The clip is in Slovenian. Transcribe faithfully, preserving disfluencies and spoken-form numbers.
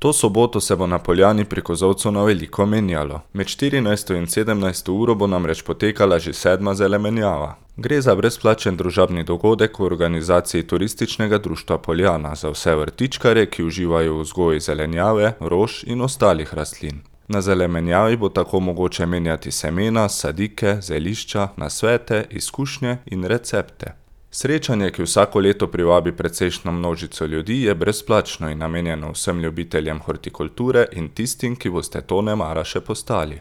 To soboto se bo na Poljani pri kozolcu na veliko menjalo. Med štirinajsto in sedemnajsto uro bo namreč potekala že sedma zelenjava. Gre za brezplačen družabni dogodek v organizaciji Turističnega društva Poljana za vse vrtičkarje, ki uživajo v vzgoji zelenjave, rož in ostalih rastlin. Na zelenjavi bo tako mogoče menjati semena, sadike, zelišča, nasvete, izkušnje in recepte. Srečanje, ki vsako leto privabi precejšnjo množico ljudi, je brezplačno in namenjeno vsem ljubiteljem hortikulture in tistim, ki boste to nemara še postali.